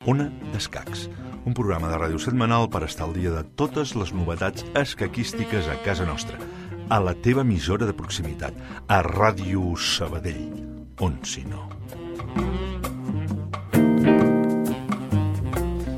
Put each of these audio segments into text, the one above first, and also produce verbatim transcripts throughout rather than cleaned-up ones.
Ona d'Escacs, un programa de ràdio setmanal per estar al dia de totes les novetats escaquístiques a casa nostra, a la teva emissora de proximitat, a Ràdio Sabadell, on si no.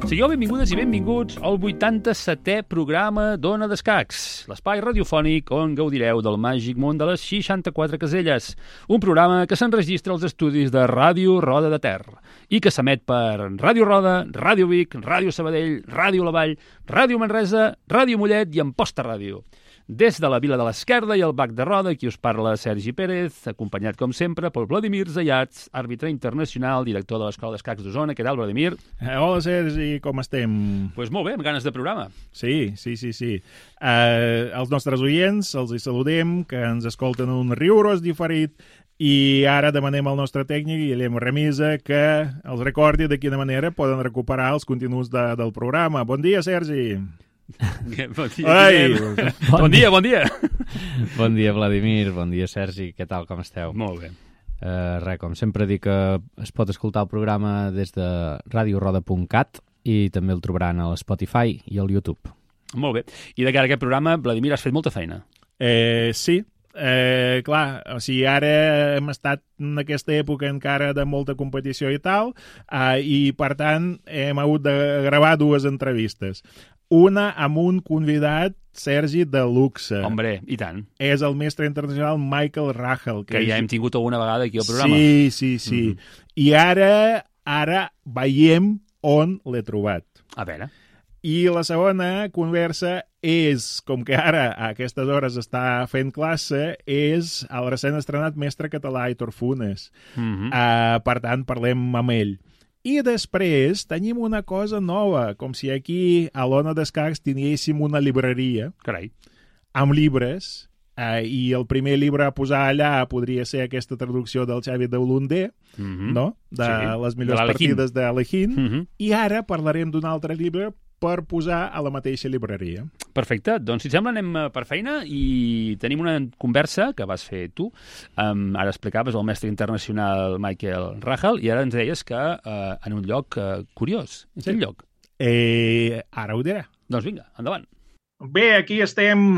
Sigueu benvingudes i benvinguts al vuitanta-setè programa d'Ona d'Escacs, l'espai radiofònic on gaudireu del màgic món de les seixanta-quatre caselles, un programa que s'enregistra als estudis de Ràdio Roda de Ter i que s'emet per Ràdio Roda, Ràdio Vic, Ràdio Sabadell, Ràdio La Vall, Ràdio Manresa, Ràdio Mollet i Amposta Ràdio. Des de la Vila de l'Esquerda i el Bac de Roda, qui us parla Sergi Pérez, acompanyat, com sempre, pel Vladimir Zayats, àrbitre internacional, director de l'Escola d'Escacs d'Osona. Què tal, Vladimir? Eh, hola, Sergi, com estem? Doncs pues molt bé, amb ganes de programa. Sí, sí, sí, sí. Eh, els nostres oients, els hi saludem, que ens escolten un riurós diferit, i ara demanem al nostre tècnic, Guillem Remisa, que els recordi de quina manera poden recuperar els continguts de, del programa. Bon dia, Sergi! Bon dia, Ai, bon, bon dia, bon dia. Bon dia, Vladimir, bon dia, Sergi, què tal, com esteu? Molt bé. Uh, res, com sempre dic que es pot escoltar el programa des de radio roda punt cat i també el trobaran a l'Spotify i al YouTube. Molt bé. I de cara a aquest programa, Vladimir, has fet molta feina. Eh, sí, eh, clar, o sigui, ara hem estat en aquesta època encara de molta competició i tal, eh, i per tant hem hagut de gravar dues entrevistes. Una amb un convidat, Sergi, de luxe. Hombre, i tant. És el mestre internacional Michael Rahel. Que, que és... ja hem tingut alguna vegada aquí al programa. Sí, sí, sí. Mm-hmm. I ara, ara veiem on l'he trobat. A veure. I la segona conversa és, com que ara a aquestes hores està fent classe, és el recent estrenat mestre català Aitor Funes. Mm-hmm. Uh, per tant, parlem amb ell. I després tenim una cosa nova, com si aquí a l'Ona d'Escacs tinguéssim una llibreria. Carai. Amb llibres, eh, i el primer llibre a posar allà podria ser aquesta traducció del Xavi Deulundé, mm-hmm. no? De sí, les millors de partides de Alejín. Mm-hmm. I ara parlarem d'un altre llibre per posar a la mateixa llibreria. Perfecte. Doncs, si et sembla, anem per feina i tenim una conversa que vas fer tu. Um, ara explicaves el mestre internacional Michael Rahel i ara ens deies que uh, en un lloc uh, curiós. En quin sí. lloc? Eh, ara ho diré. Doncs vinga, endavant. Bé, aquí estem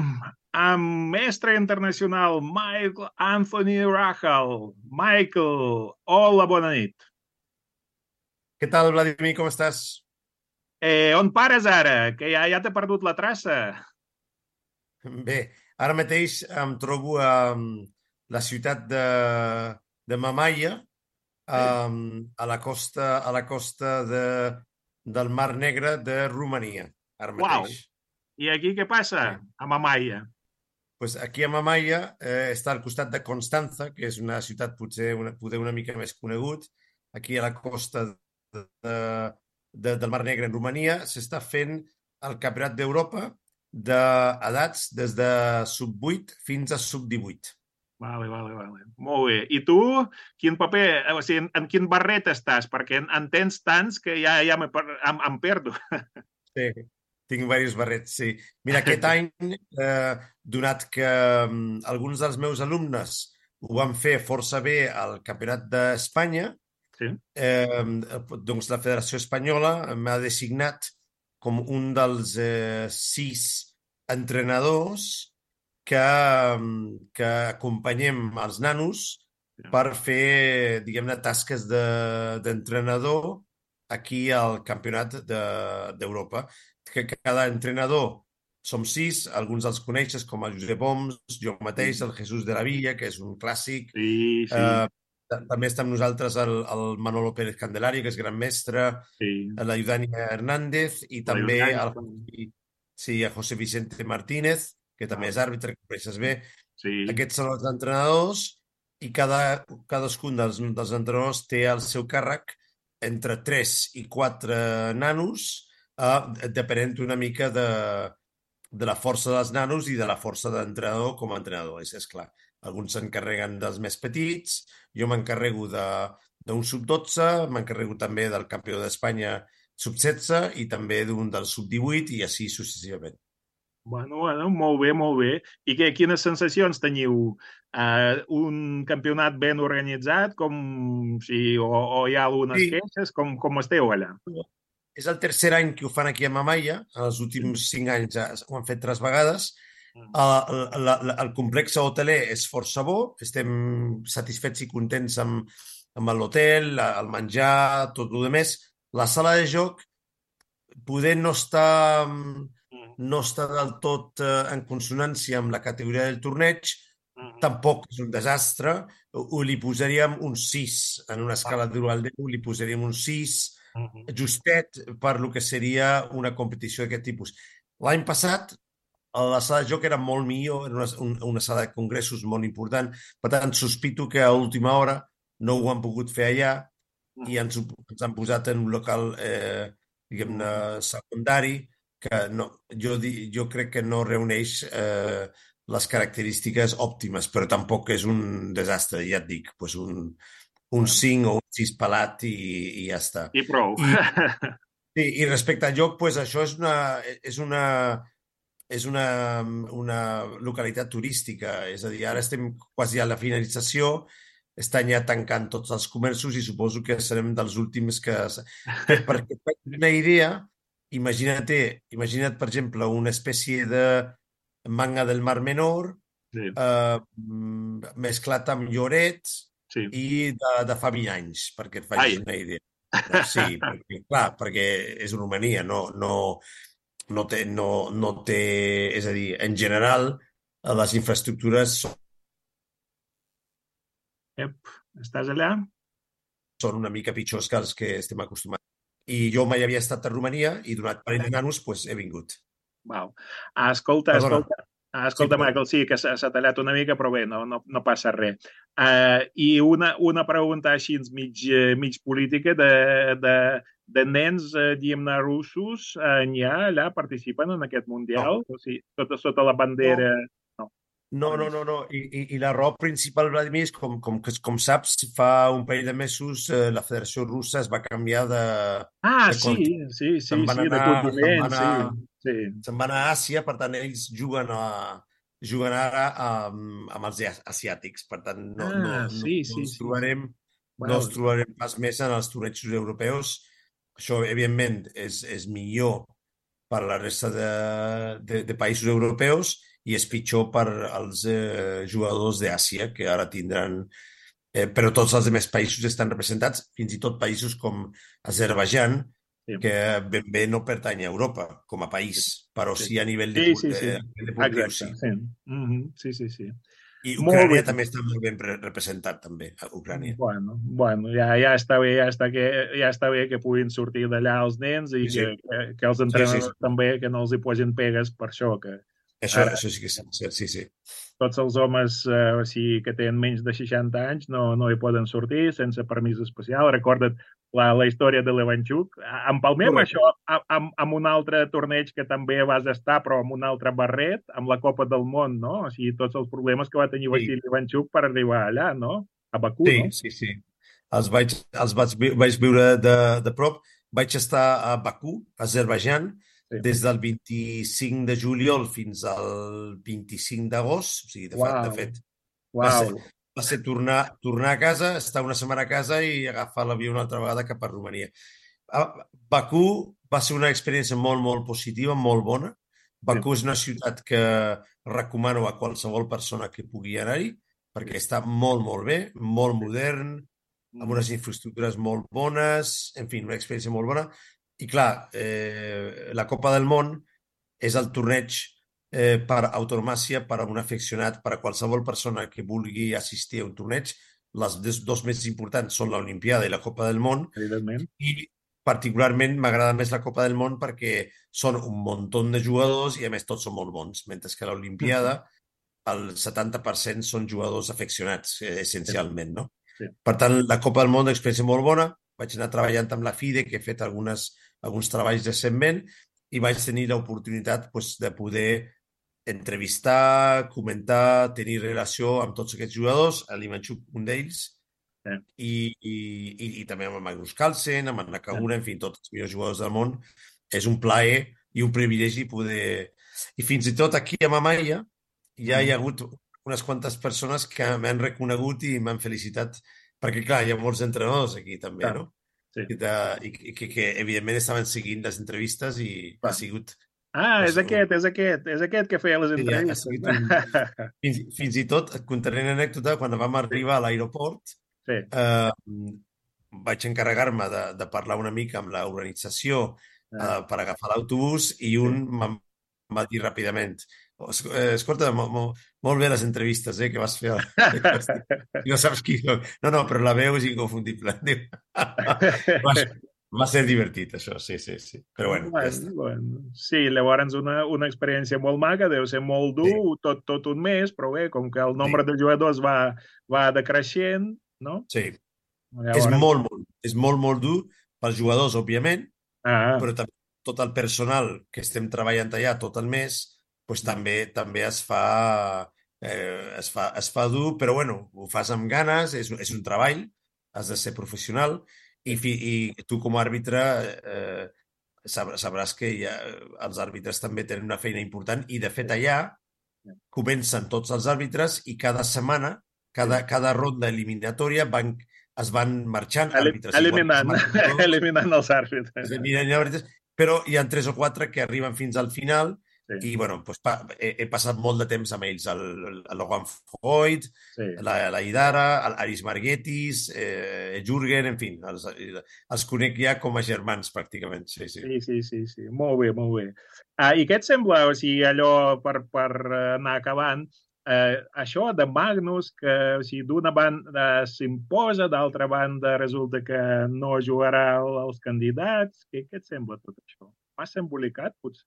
amb mestre internacional Michael Anthony Rahel. Michael, hola, bona nit. Què tal, Vladimir, com estàs? Eh, on pares ara? Que ja, ja t'he perdut la traça. Bé, ara mateix em trobo a la ciutat de, de Mamaia, um, a la costa, a la costa de, del Mar Negre de Romania. Ara mateix. Uau! I aquí què passa, sí. a Mamaia? Pues aquí a Mamaia eh, està al costat de Constanza, que és una ciutat potser una, potser una mica més conegut. Aquí a la costa de... de De, del Mar Negre en Romania, s'està fent el Campionat d'Europa d'edats des de sub vuit fins a sub divuit. Vale, vale, vale. Molt bé. I tu, quin paper, o sigui, en, en quin barret estàs? Perquè en, en tens tants que ja, ja em, em, em perdo. Sí, tinc diversos barrets, sí. Mira, aquest any, eh, donat que um, alguns dels meus alumnes ho van fer força bé al Campionat d'Espanya, sí. Eh, doncs la Federació Espanyola m'ha designat com un dels eh, sis entrenadors que, que acompanyem els nanos per fer, diguem-ne, tasques de, d'entrenador aquí al Campionat de, d'Europa. Que cada entrenador som sis, alguns els coneixes com el Josep Oms, jo mateix, el Jesús de la Villa, que és un clàssic. Sí, sí. Eh, També està amb nosaltres el, el Manolo Pérez Candelario, que és gran mestre, sí. La Eudània Hernández i la també el, sí, el José Vicente Martínez, que també ah. és àrbitre, que coneixes bé. Sí. Aquests són els entrenadors i cada, cadascun dels, dels entrenadors té al seu càrrec entre tres i quatre nanos, eh, depenent una mica de, de la força dels nanos i de la força de l'entrenador com a entrenador, és, és clar. Alguns s'encarreguen dels més petits, jo m'encarrego d'un sub dotze, m'encarrego també del campió d'Espanya sub setze i també d'un del sub divuit i així successivament. Bueno, bueno, molt bé, molt bé. I que, quines sensacions teniu? Uh, un campionat ben organitzat, com si, o, o hi ha algunes Sí, queixes? Com, com esteu allà? és el tercer any que ho fan aquí a Mamaia. En els últims cinc anys ja ho han fet tres vegades. El, el, el complex hoteler és força bo. Estem satisfets i contents amb, amb l'hotel, el menjar, tot el més. La sala de joc poder no està, no està del tot eh, en consonància amb la categoria del torneig, tampoc és un desastre, o li posaríem un sis, en una escala de zero al deu, li posaríem un sis, justet per lo que seria una competició d'aquest tipus. L'any passat, la sala de joc era molt millor, era una, una sala de congressos molt important, per tant, sospito que a última hora no ho han pogut fer allà i ens, ens han posat en un local, eh, diguem-ne, secundari, que no, jo, jo crec que no reuneix eh, les característiques òptimes, però tampoc és un desastre, ja et dic, pues un, un cinc o un sis pelat i, i ja està. I prou. I, i, i respecte al joc, pues això és una, és una, és una, una localitat turística, és a dir, ara estem quasi a la finalització, estan ja tancant tots els comerços i suposo que serem dels últims que... que perquè et faig una idea, imagina't, imagina't, per exemple, una espècie de manga del Mar Menor Sí. eh, mesclat amb Lloret Sí. i de, de fa vint anys, perquè et facis Ai. una idea. Sí, perquè, clar, perquè és Romania, no, no, no, té, no, no té... És a dir, en general, les infraestructures són Ep, estàs allà? són una mica pitjors que els que estem acostumats. I jo mai havia estat a Romania i donat per de nanos, pues, he vingut. Wow. Ah, escolta, Perdona. escolta, ah, escolta, Sí, Michael, sí, que s'ha s'ha tallat una mica, però bé, no, no, no passa res. Uh, I una, una pregunta així mig, eh, mig política de, de, de nens, eh, diguem-ne, russos, eh, n'hi ha allà, participen en aquest Mundial? O sigui, sota, sota la bandera... No. No, no, no, no. I, i, i la raó principal, Vladimir, és com, com, que- com saps, fa un parell de mesos eh, la Federació Russa es va canviar de, Ah, de sí, continent. sí, sí, Se'n van sí, de anar, se'n continent, van sí, anar, sí. se'n van a Àsia, per tant, ells juguen, a, juguen ara amb, amb els asiàtics. Per tant, no, no, Ah, no, sí, no sí, ens sí. trobarem, no Wow. ens trobarem pas més en els tornejos europeus. Això, evidentment, és, és millor per la resta de, de, de països europeus i és pitjor per als eh, jugadors d'Àsia, que ara tindran... Eh, però tots els altres països estan representats, fins i tot països com Azerbaidjan, Sí. que ben bé no pertany a Europa com a país, però Sí. sí a nivell de, Sí, sí, sí. de, a nivell deportiu, Exacte, sí. sí. Mm-hmm. Sí, sí, sí. I Molt Ucrània bé. també està molt ben re- representat, també, a Ucrània. Bueno, bueno, ja, ja està bé, ja està, que, ja està bé que puguin sortir d'allà els nens i Sí, sí. que, que, que els Sí, sí, entrenadors sí. també que no els hi posin pegues per això, que Això, ara això sí que és cert, sí, sí. tots els homes eh, o sigui, que tenen menys de seixanta anys no, no hi poden sortir sense permís especial. Recorda't la, la història de l'Evanchuk. Empalmem Correcte. això amb, amb un altre torneig que també vas estar, però amb un altre barret, amb la Copa del Món, no? O sigui, tots els problemes que va tenir Sí. Vassili Evanchuk per arribar allà, no? A Bakú, Sí, no? sí, sí. Els vaig, els vaig, vi- vaig viure de, de prop. Vaig estar a Bakú, Azerbaidjan, Sí. des del vint-i-cinc de juliol fins al vint-i-cinc d'agost. O sigui, de, fa, de Uau. fet, va ser, Uau. va ser tornar, tornar a casa, estar una setmana a casa i agafar l'avió una altra vegada cap a Romania. A Bakú va ser una experiència molt, molt positiva, molt bona. Bakú és una ciutat que recomano a qualsevol persona que pugui anar-hi, perquè està molt, molt bé, molt modern, amb unes infraestructures molt bones, en fi, una experiència molt bona. I clar, eh, la Copa del Món és el torneig eh, per autonomàcia, per a un aficionat, per a qualsevol persona que vulgui assistir a un torneig. Les dos, dos més importants són l'Olimpiada i la Copa del Món, Evidentment. i particularment m'agrada més la Copa del Món perquè són un muntó de jugadors i a més tots són molt bons, mentre que a l'Olimpiada el setanta per cent són jugadors afeccionats, eh, essencialment, no? Sí. Per tant, la Copa del Món és una experiència molt bona. Vaig anar treballant amb la FIDE, que he fet algunes, alguns treballs recentment, i vaig tenir l'oportunitat pues, de poder entrevistar, comentar, tenir relació amb tots aquests jugadors, a l'Ivanchuk, un d'ells, Sí. i, i, i, i també amb el Magnus Carlsen, amb el Nakagura, en fi, tots els millors jugadors del món. És un plaer i un privilegi poder, I fins i tot aquí a Mamaia ja hi ha Mm. hagut unes quantes persones que m'han reconegut i m'han felicitat, perquè clar, hi ha molts entrenadors aquí també, Clar, no? sí, I, de, i, i que, que evidentment estaven seguint les entrevistes i ha clar. sigut, Ah, és pues, un, aquest, és aquest, és aquest que feia les sí, ha, ha entrevistes. sigut un... Fins, fins i tot, et contaré una anècdota, quan vam arribar a l'aeroport, Sí, eh, vaig encarregar-me de, de parlar una mica amb l'organització ah, eh, per agafar l'autobús i un em va dir ràpidament: "Es- eh, escolta, mo, mo, molt bé les entrevistes eh, que vas fer. I no saps qui soc. No, no, però la veu és inconfundible. Diu. Va, va ser divertit, això, sí, sí, sí. Però bueno, ja Bueno, està. bueno. Sí, llavors una, una experiència molt maca, deu ser molt Sí, dur, tot, tot un mes, però bé, com que el sí, nombre de jugadors va, va decreixent, no? sí. És Llavors, molt, molt, és molt, molt dur pels jugadors, òbviament, ah, però també tot el personal que estem treballant allà tot el mes, doncs també també es fa, eh, es fa, es fa dur, però bueno, ho fas amb ganes, és, és un treball, has de ser professional i, fi, i tu com a àrbitre eh, sab- sabràs que ja, els àrbitres també tenen una feina important i de fet allà comencen tots els àrbitres i cada setmana, cada, cada ronda eliminatòria van, es van marxant eli- àrbitres. Igual que es eliminant, marxen tots, eliminant els àrbitres. es miren àrbitres, però hi ha tres o quatre que arriben fins al final Sí, i, bueno, doncs, pa, he, he passat molt de temps amb ells, el, el Logan Foyt, sí. la, la Idara, l'Aris Marguetis, eh, Jürgen, en fi, els, els conec ja com a germans, pràcticament, sí, sí. Sí, sí, sí, sí. Molt bé, molt bé. Ah, I què et sembla, o sigui, allò per, per anar acabant, eh, això de Magnus, que o sigui, d'una banda s'imposa, d'altra banda resulta que no jugarà els candidats, què, què et sembla tot això? Massa embolicat, potser?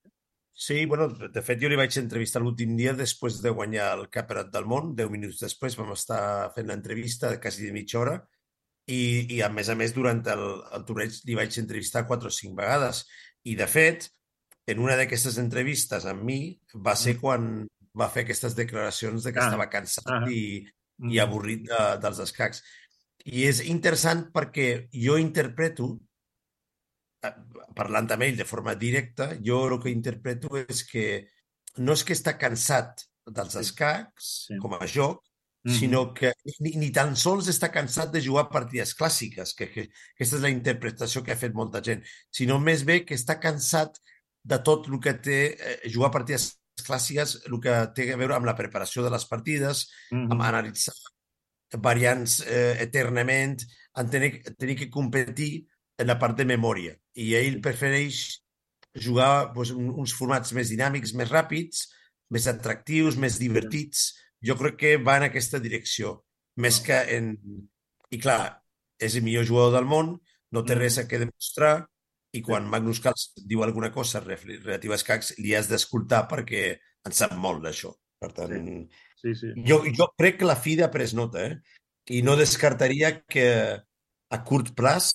Sí, bueno, de fet jo li vaig entrevistar l'últim dia després de guanyar el Campionat del Món, deu minuts després vam estar fent l'entrevista quasi de mitja hora i, i a més a més durant el, el torneig li vaig entrevistar quatre o cinc vegades i de fet en una d'aquestes entrevistes amb mi va ser quan va fer aquestes declaracions de que Ah, estava cansat ah, i, i mm, avorrit de, dels escacs. I és interessant perquè jo interpreto eh, parlant amb ell de forma directa, jo el que interpreto és que no és que està cansat dels sí, escacs sí. com a joc, Mhm. sinó que ni, ni tan sols està cansat de jugar partides clàssiques, que, que aquesta és la interpretació que ha fet molta gent, sinó més bé que està cansat de tot el que té eh, jugar partides clàssiques, el que té a veure amb la preparació de les partides, amb Mhm. analitzar variants eh, eternament, en tenir, tenir que competir en la part de memòria. I ell prefereix jugar doncs, un- uns formats més dinàmics, més ràpids, més atractius, més divertits. Jo crec que va en aquesta direcció. Més que en... I clar, és el millor jugador del món, no té res a què demostrar, i quan Magnus Carlsen diu alguna cosa relativa als escacs, li has d'escoltar perquè en sap molt d'això. Per tant, Sí, sí. jo, jo crec que la F I D E ha pres nota, eh? I no descartaria que a curt plaç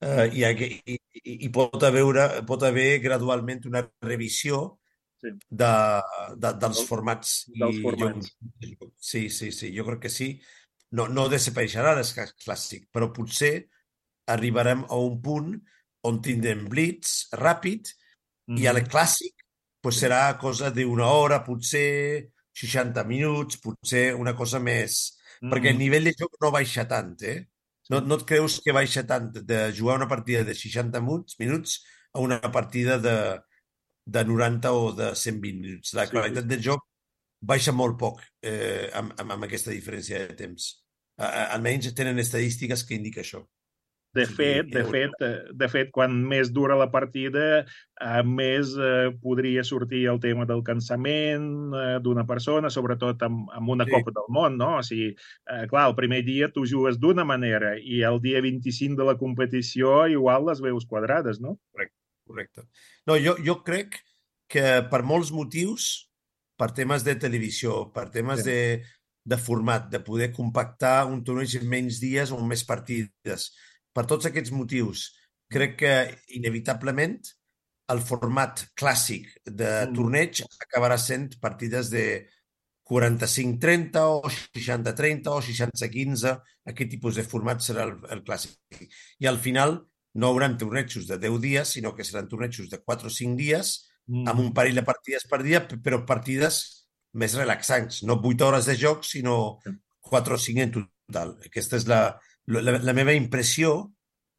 eh, hi, hagué, hi, hi hi pot, haver, pot haver gradualment una revisió Sí. de, de, dels Del- formats. dels I formats. Jo, sí, sí, sí, jo crec que sí. No, no desapareixerà l'escac clàssic, però potser arribarem a un punt on tindrem blitz ràpid i al Mhm. clàssic pues, Sí. serà cosa d'una hora, potser seixanta minuts, potser una cosa més... Perquè el Mhm. nivell de joc no baixa tant, eh? No, Sí. no et creus que baixa tant de jugar una partida de seixanta minuts, minuts a una partida de, de noranta o de cent vint minuts. La Sí, qualitat sí. del joc baixa molt poc eh, amb, amb, amb aquesta diferència de temps. A, a, almenys tenen estadístiques que indiquen això. De O sigui, fet, de eh, fet, eh, de fet, quan més dura la partida, eh, més eh, podria sortir el tema del cansament eh, d'una persona, sobretot amb, amb una sí, Copa del Món, no? O sigui, eh, clar, el primer dia tu jugues d'una manera i el dia vint-i-cinc de la competició igual les veus quadrades, no? correcte, correcte. No, jo, jo crec que per molts motius, per temes de televisió, per temes Sí. de, de format, de poder compactar un torneig en menys dies o en més partides, per tots aquests motius, crec que inevitablement el format clàssic de Mm. torneig acabarà sent partides de quaranta-cinc trenta o seixanta trenta o seixanta quinze. Aquest tipus de format serà el, el clàssic. I al final no hauran tornejos de deu dies, sinó que seran tornejos de quatre o cinc dies Mm. amb un parell de partides per dia, p- però partides més relaxants. No vuit hores de joc, sinó quatre o cinc en total. Aquesta és la, la, la meva impressió,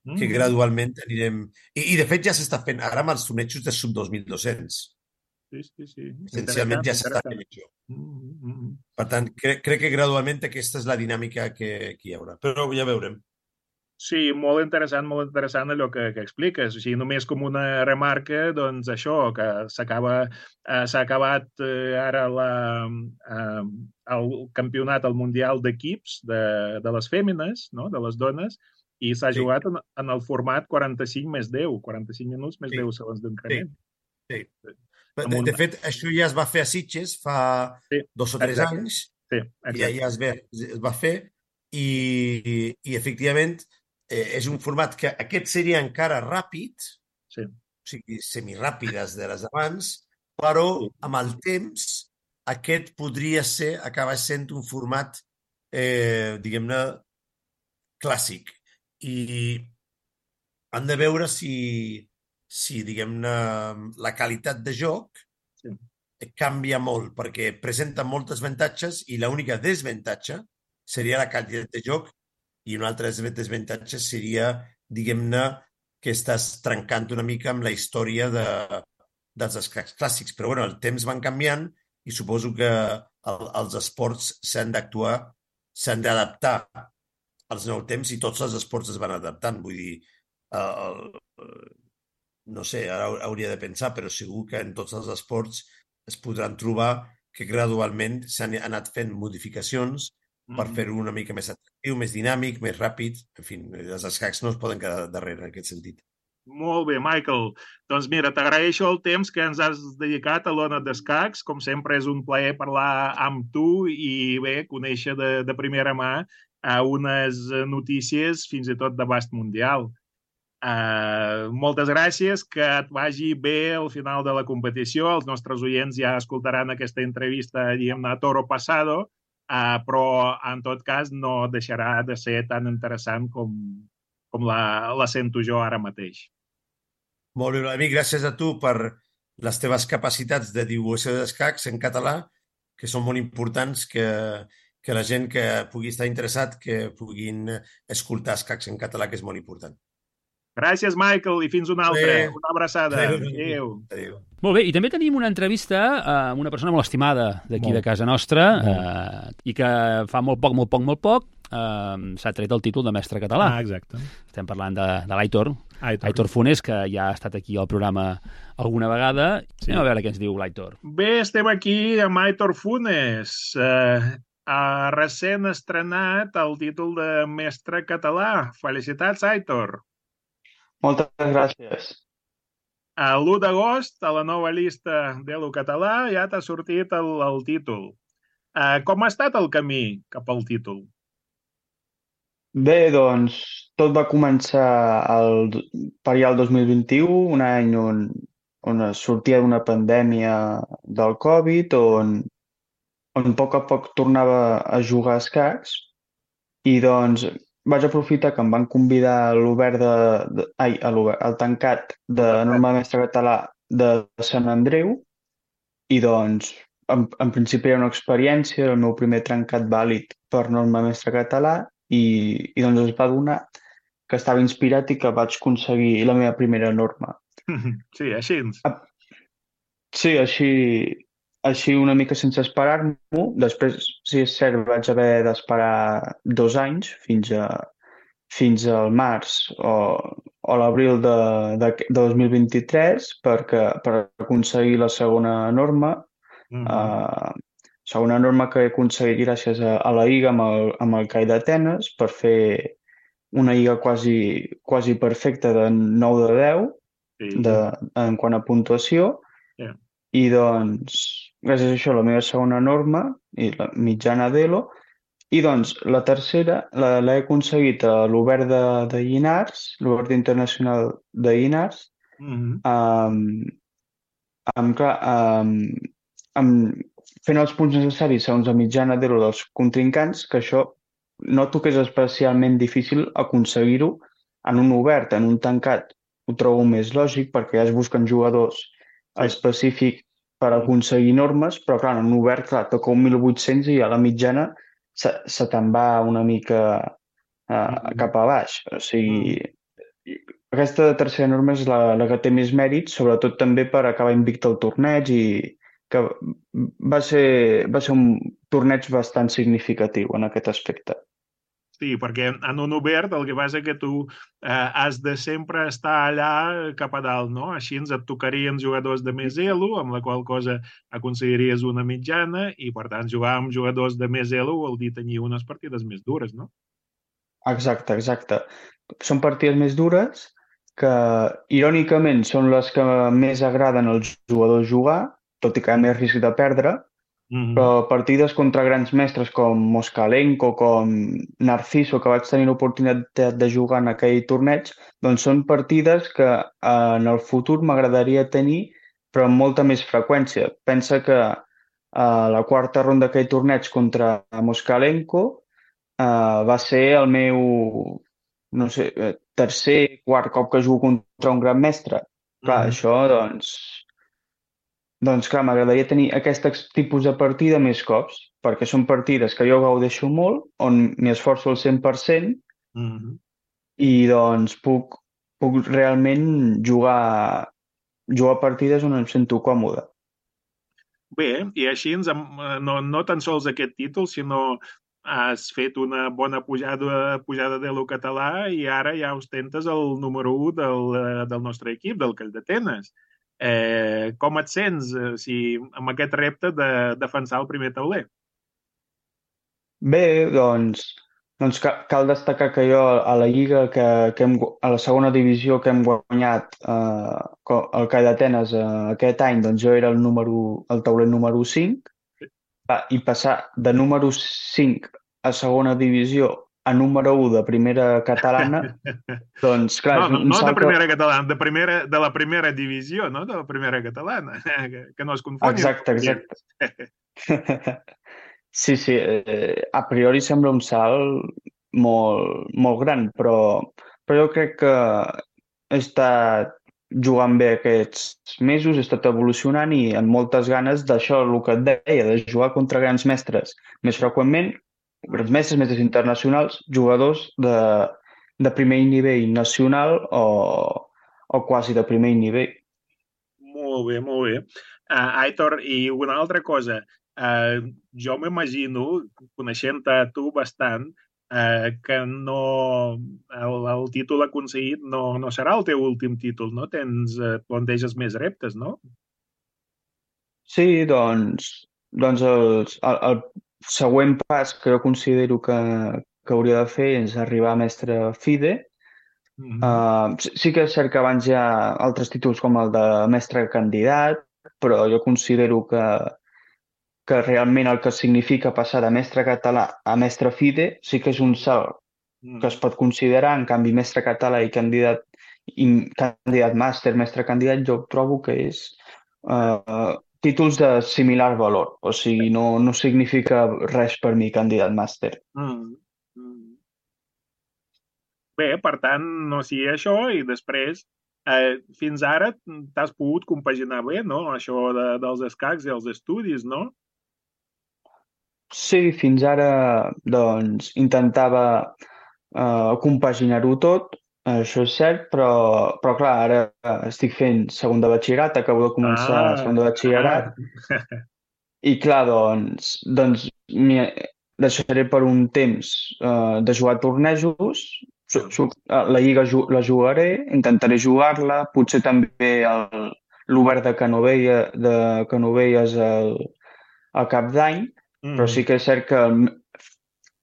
que Mm. gradualment anirem... I, i de fet ja s'està fent ara amb els tornejos de sub dos mil dos-cents. Sí, sí, sí. Essencialment Interessant, ja s'està interessant. fent això. Mm, mm, mm. Per tant, cre crec que gradualment aquesta és la dinàmica que, que hi haurà. Però ja veurem. Sí, molt interessant, molt interessant allò que, que expliques. O sigui, només com una remarca, doncs això, que s'acaba, eh, s'ha acabat eh, ara la, eh, el campionat, el Mundial d'equips de, de les fèmines, no? De les dones, i s'ha Sí. jugat en, en el format quaranta-cinc més deu, quaranta-cinc minuts més Sí. deu segons d'increment. Sí. Amb De, un- de fet, això ja es va fer a Sitges fa Sí, dos o tres exacte. anys, Sí, ja, exacte. ja es, ve, es va fer, i, i, i efectivament eh, és un format que aquest seria encara ràpid, Sí. o sigui, semiràpides de les d'abans, però Sí. amb el temps aquest podria ser, acabar sent un format, eh, diguem-ne, clàssic. I han de veure si, si diguem-ne, la qualitat de joc Sí. canvia molt, perquè presenta moltes avantatges i l'única desavantatge seria la qualitat de joc, i una altra desavantatge seria, diguem-ne, que estàs trencant una mica amb la història de, dels escacs clàssics. Però bueno, el temps van canviant i suposo que el, els esports s'han d'actuar, s'han d'adaptar als nous temps, i tots els esports es van adaptant. Vull dir, el, el, no sé, ara hauria de pensar, però segur que en tots els esports es podran trobar que gradualment s'han anat fent modificacions per Mhm. fer-ho una mica més atractiu, més dinàmic, més ràpid. En fi, els escacs no es poden quedar darrere en aquest sentit. Molt bé, Michael. Doncs mira, t'agraeixo el temps que ens has dedicat a l'Ona d'Escacs. Com sempre, és un plaer parlar amb tu i bé, conèixer de, de primera mà a unes notícies fins i tot d'abast mundial. Uh, moltes gràcies, que et vagi bé al final de la competició. Els nostres oients ja escoltaran aquesta entrevista, diguem-ne, a toro passado, uh, però en tot cas no deixarà de ser tan interessant com, com la, la sento jo ara mateix. Molt bé, amic, gràcies a tu per les teves capacitats de divulgació d'escacs en català, que són molt importants, que, que la gent que pugui estar interessat que puguin escoltar escacs en català, que és molt important. Gràcies, Michael, i fins una altra. Bé. Una abraçada. Adéu. Adéu. Adéu. Molt bé, i també tenim una entrevista amb una persona molt estimada d'aquí Molt. de casa nostra eh, i que fa molt poc, molt poc, molt poc eh, s'ha tret el títol de mestre català. Ah, exacte. Estem parlant de, de l'Aitor, Aitor. Aitor Funes, que ja ha estat aquí al programa alguna vegada. Sí. Anem a veure què ens diu l'Aitor. Bé, estem aquí amb Aitor Funes. Eh, ha recent estrenat el títol de mestre català. Felicitats, Aitor. Moltes gràcies. A l'u d'agost, a la nova llista de l'U català, ja t'ha sortit el, el títol. Eh, com ha estat el camí cap al títol? Bé, doncs, tot va començar el, per allà el dos mil vint-i-u, un any on, on es sortia d'una pandèmia del Covid, on, on a poc a poc tornava a jugar a escacs, i doncs vaig aprofitar que em van convidar a l'obert de, de ai, a l'obert, al tancat de norma mestre català de Sant Andreu, i doncs en, en principi era una experiència, era el meu primer trencat vàlid per norma mestre català, i, i doncs es va donar que estava inspirat i que vaig aconseguir la meva primera norma. Sí, així. Sí, així, així una mica sense esperar-m'ho. Després, sí, és cert, vaig haver d'esperar dos anys fins a fins al març o, o l'abril de, de, de dos mil vint-i-tres perquè, per aconseguir la segona norma. Mm-hmm. Uh, segona norma que he aconseguit gràcies a, a la I G A amb el, amb el C A I d'Atenes per fer una I G A quasi, quasi perfecta de nou de deu Sí. de, en quant a puntuació. Yeah. I doncs, gràcies a això, la meva segona norma i la mitjana d'Elo. I doncs, la tercera l'he aconseguit a l'Obert de, de Llinars, l'Obert Internacional de Llinars, Mm-hmm. amb, amb, clar, amb, amb, fent els punts necessaris segons la mitjana d'Elo dels contrincants, que això noto que és especialment difícil aconseguir-ho en un obert, en un tancat. Ho trobo més lògic perquè ja es busquen jugadors específic per aconseguir normes, però clar, en obert, clar, toca un mil vuit-cents i a la mitjana se, se te'n va una mica uh, Mhm. cap a baix. O sigui, aquesta tercera norma és la, la que té més mèrit, sobretot també per acabar invicte al torneig i que va ser, va ser un torneig bastant significatiu en aquest aspecte. Sí, perquè en un obert el que passa que tu eh, has de sempre estar allà cap a dalt, no? Així ens et tocarien jugadors de més elo, amb la qual cosa aconseguiries una mitjana i, per tant, jugar amb jugadors de més elo vol dir tenir unes partides més dures, no? Exacte, exacte. Són partides més dures que, irònicament, són les que més agraden als jugadors jugar, tot i que hi ha més risc de perdre, Mm-hmm. però partides contra grans mestres com Moskalenko, com Narciso, que vaig tenir l'oportunitat de jugar en aquell torneig, doncs són partides que eh, en el futur m'agradaria tenir, però amb molta més freqüència. Pensa que eh, la quarta ronda d'aquell torneig contra Moskalenko eh, va ser el meu, no sé, eh, tercer, quart cop que jugo contra un gran mestre. Clar, Mhm. això, doncs, doncs clar, m'agradaria tenir aquest ex- tipus de partida més cops, perquè són partides que jo gaudeixo molt, on m'hi esforço al cent per cent Mhm. i doncs puc, puc realment jugar, jugar partides on em sento còmode. Bé, i així ens, hem- eh, no, no tan sols aquest títol, sinó has fet una bona pujada, pujada de lo català i ara ja ostentes el número u del, eh, del nostre equip, del Call d'Atenes. Eh, com et sents eh, si, amb aquest repte de defensar el primer tauler? Bé, doncs, doncs ca- cal destacar que jo a la Lliga, que, que hem, gu- a la segona divisió que hem guanyat eh, co- el Call d'Atenes eh, aquest any, doncs jo era el, número, el tauler número cinc. Va, i passar de número cinc a segona divisió a número u de primera catalana, doncs clar, No, és no, un, un no de salt que... primera catalana, de, primera, de la primera divisió, no de la primera catalana, que, que no es confonguin. Exacte, exacte. Sí, sí, eh, a priori sembla un salt molt, molt gran, però, però jo crec que he estat jugant bé aquests mesos, he estat evolucionant i amb moltes ganes d'això, el que et deia, de jugar contra grans mestres més freqüentment, grans mestres, mestres internacionals, jugadors de, de primer nivell nacional o, o quasi de primer nivell. Molt bé, molt bé. Uh, Aitor, i una altra cosa, uh, jo m'imagino, coneixent-te a tu bastant, uh, que no, el, el títol aconseguit no, no serà el teu últim títol, no? Tens, uh, planteges més reptes, no? Sí, doncs, doncs el, el, el següent pas que jo considero que, que hauria de fer és arribar a mestre FIDE. Mm -hmm. Uh, sí sí que és cert que abans hi ha altres títols com el de mestre candidat, però jo considero que, que realment el que significa passar de mestre català a mestre FIDE sí que és un salt que es pot considerar. En canvi, mestre català i candidat, i candidat màster, mestre candidat, jo trobo que és uh, títols de similar valor. O sigui, no, no significa res per mi candidat màster. Mm -hmm. Bé, per tant, no sigui això i després, eh, fins ara t'has pogut compaginar bé, no? Això de, dels escacs i els estudis, no? Sí, fins ara doncs, intentava uh, compaginar-ho tot, això és cert, però, però clar, ara estic fent segon de batxillerat, acabo de començar Ah, segon de batxillerat, i clar, doncs, doncs m'hi deixaré per un temps uh, de jugar a tornejos, su- su- la Lliga ju la jugaré, intentaré jugar-la, potser també el- l'Obert de Canovella, de Canovelles al, al cap d'any, però sí que és cert que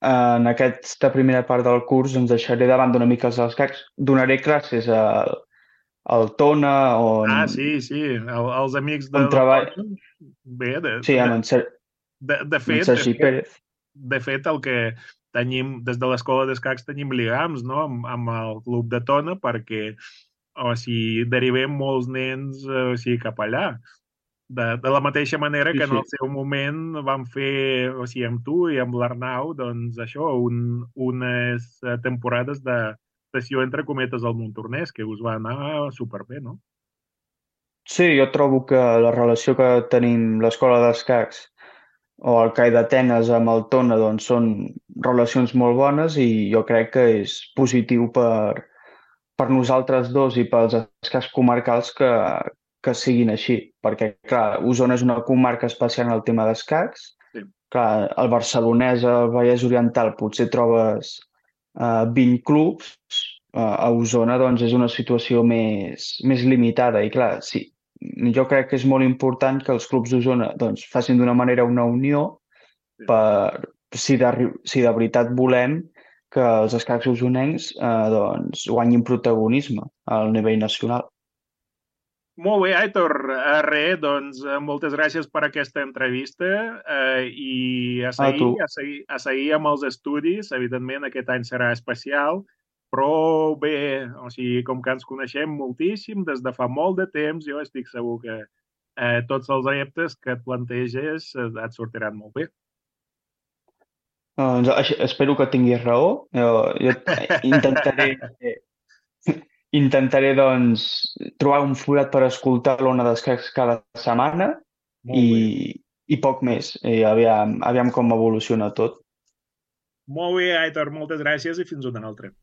en aquesta primera part del curs ens deixaré de banda una mica els escacs. Donaré classes al, al Tona, on, Ah, sí, sí, el, els amics de on la treballa... Tona. Bé, de, Sí, de, amb en, Ser de, de amb en fet, de Sergi fet, Pérez. de fet, el que tenim, des de l'escola d'escacs tenim lligams, no?, amb, amb el club de Tona, perquè, o sigui, derivem molts nens, o sigui, cap allà. De, de la mateixa manera Sí, que en sí. el seu moment vam fer, o sigui, amb tu i amb l'Arnau, doncs això, un, unes eh, temporades de sessió entre cometes al Montornès, que us va anar superbé, no? Sí, jo trobo que la relació que tenim l'escola d'escacs o el CAI d'Atenes amb el Tona doncs, són relacions molt bones i jo crec que és positiu per, per nosaltres dos i pels escacs comarcals que, que siguin així. Perquè, clar, Osona és una comarca especial en el tema d'escacs. Sí. Clar, al Barcelonès, al Vallès Oriental, potser trobes uh, vint clubs. Uh, a Osona doncs, és una situació més, més limitada i, clar, sí, jo crec que és molt important que els clubs d'Osona doncs, facin d'una manera una unió per, si de, si de veritat volem que els escacs osonencs eh, doncs, guanyin protagonisme al nivell nacional. Molt bé, Aitor. Eh, res, doncs, eh, moltes gràcies per aquesta entrevista eh, i a seguir, a, a, seguir, a seguir amb els estudis. Evidentment, aquest any serà especial, però bé, o sigui, com que ens coneixem moltíssim des de fa molt de temps, jo estic segur que eh, tots els reptes que et planteges eh, et sortiran molt bé. Doncs espero que tinguis raó. Jo, jo intentaré, intentaré doncs, trobar un forat per escoltar l'Ona d'Escacs cada setmana i, i poc més. I aviam, aviam com evoluciona tot. Molt bé, Aitor. Moltes gràcies i fins una altra.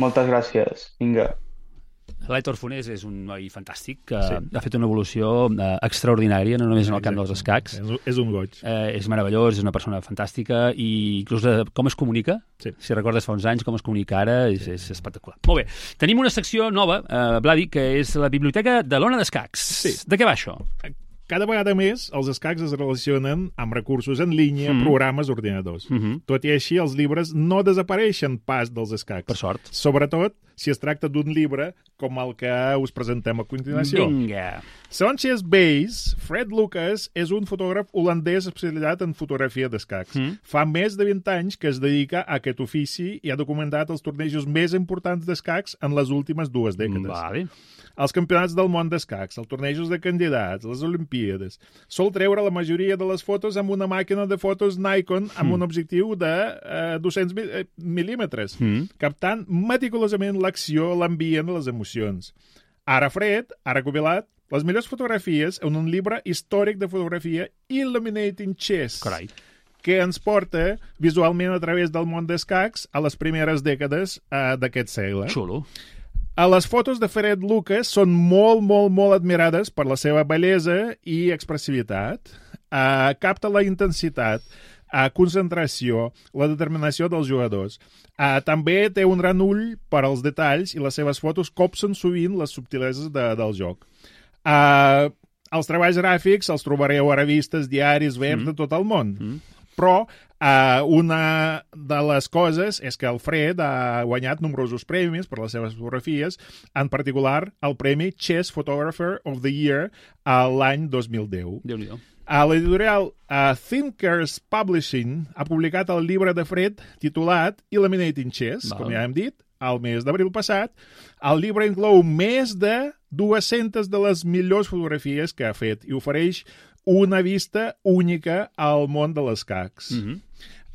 Moltes gràcies. Vinga. L'Aitor Fonés és un noi fantàstic que sí. ha fet una evolució eh, extraordinària, no només en el camp dels escacs. És, és un goig. Eh, és meravellós, és una persona fantàstica i inclús eh, com es comunica, sí. si recordes fa uns anys com es comunica ara, és, és espectacular. Molt bé, tenim una secció nova, eh, Vladi, que és la Biblioteca de l'Ona d'Escacs. Sí. De què va això? Cada vegada més els escacs es relacionen amb recursos en línia, mm. programes, ordinadors. Mm -hmm. Tot i així, els llibres no desapareixen pas dels escacs. Per sort. Sobretot si es tracta d'un llibre com el que us presentem a continuació. Vinga. Segons Chess Base, Fred Lucas és un fotògraf holandès especialitzat en fotografia d'escacs. Mm. Fa més de vint anys que es dedica a aquest ofici i ha documentat els tornejos més importants d'escacs en les últimes dues dècades. Vale. Els campionats del món d'escacs, els tornejos de candidats, les Olimpíades. Sol treure la majoria de les fotos amb una màquina de fotos Nikon amb mm. un objectiu de eh, dos-cents mil·límetres, mm. captant meticulosament l'acció, l'ambient, les emocions. Ara Fred ha recopilat les millors fotografies en un llibre històric de fotografia, Illuminating Chess. Carai. Que ens porta visualment a través del món d'escacs a les primeres dècades eh, d'aquest segle. Xulo. Les fotos de Fred Lucas són molt, molt, molt admirades per la seva bellesa i expressivitat. Uh, capta la intensitat, uh, concentració, la determinació dels jugadors. Uh, també té un gran ull per als detalls i les seves fotos copsen sovint les subtileses de, del joc. Uh, els treballs gràfics els trobareu a revistes, diaris, webs mm. de tot el món. Mm. Però uh, una de les coses és que el Fred ha guanyat nombrosos premis per les seves fotografies, en particular el premi Chess Photographer of the Year a l'any dos mil deu. Déu-n'hi-do. A l'editorial uh, Thinkers Publishing ha publicat el llibre de Fred titulat Illuminating Chess, Val. Com ja hem dit, al mes d'abril passat. El llibre inclou més de dues-centes de les millors fotografies que ha fet i ofereix una vista única al món de les escacs. Mm-hmm.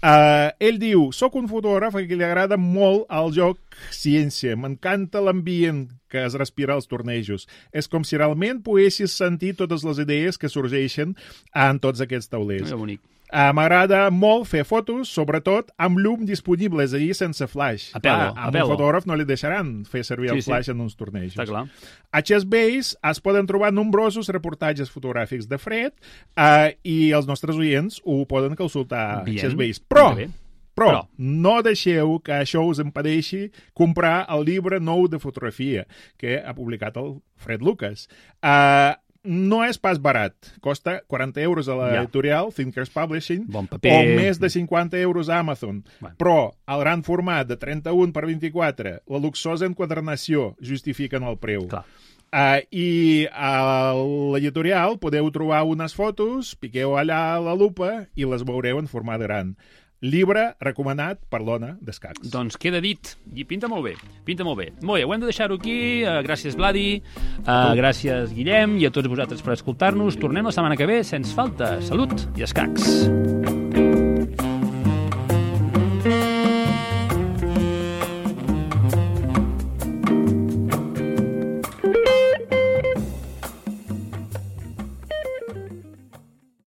uh, ell diu, soc un fotògraf a qui li agrada molt el joc ciència, m'encanta l'ambient que es respira als tornejos. És com si realment poguessis sentir totes les idees que sorgeixen en tots aquests taulers. Que bonic. Uh, M'agrada molt fer fotos, sobretot amb llum disponible, és a dir, sense flash. A pelo, ah, a amb pelo. un fotògraf no li deixaran fer servir sí, el flash sí. en uns tornejos. Està clar. A Chess Base es poden trobar nombrosos reportatges fotogràfics de Fred uh, i els nostres oients ho poden consultar a Chess Base. Però, però, però no deixeu que això us impedeixi comprar el llibre nou de fotografia que ha publicat el Fred Lucas. Uh, No és pas barat. Costa quaranta euros a l'editorial ja. Thinkers Publishing bon paper. O més de cinquanta euros a Amazon. Bueno. Però el gran format de trenta-un per vint-i-quatre, la luxosa enquadernació justifiquen el preu. Clar. Uh, I a l'editorial podeu trobar unes fotos, piqueu allà a la lupa i les veureu en format gran. Llibre recomanat per l'Ona d'Escacs. Doncs queda dit. I pinta molt bé. Pinta molt bé. Molt bé, ho hem de deixar-ho aquí. Uh, gràcies, Vladi. Uh, gràcies, Guillem. I a tots vosaltres per escoltar-nos. Tornem la setmana que ve, sense falta. Salut i escacs.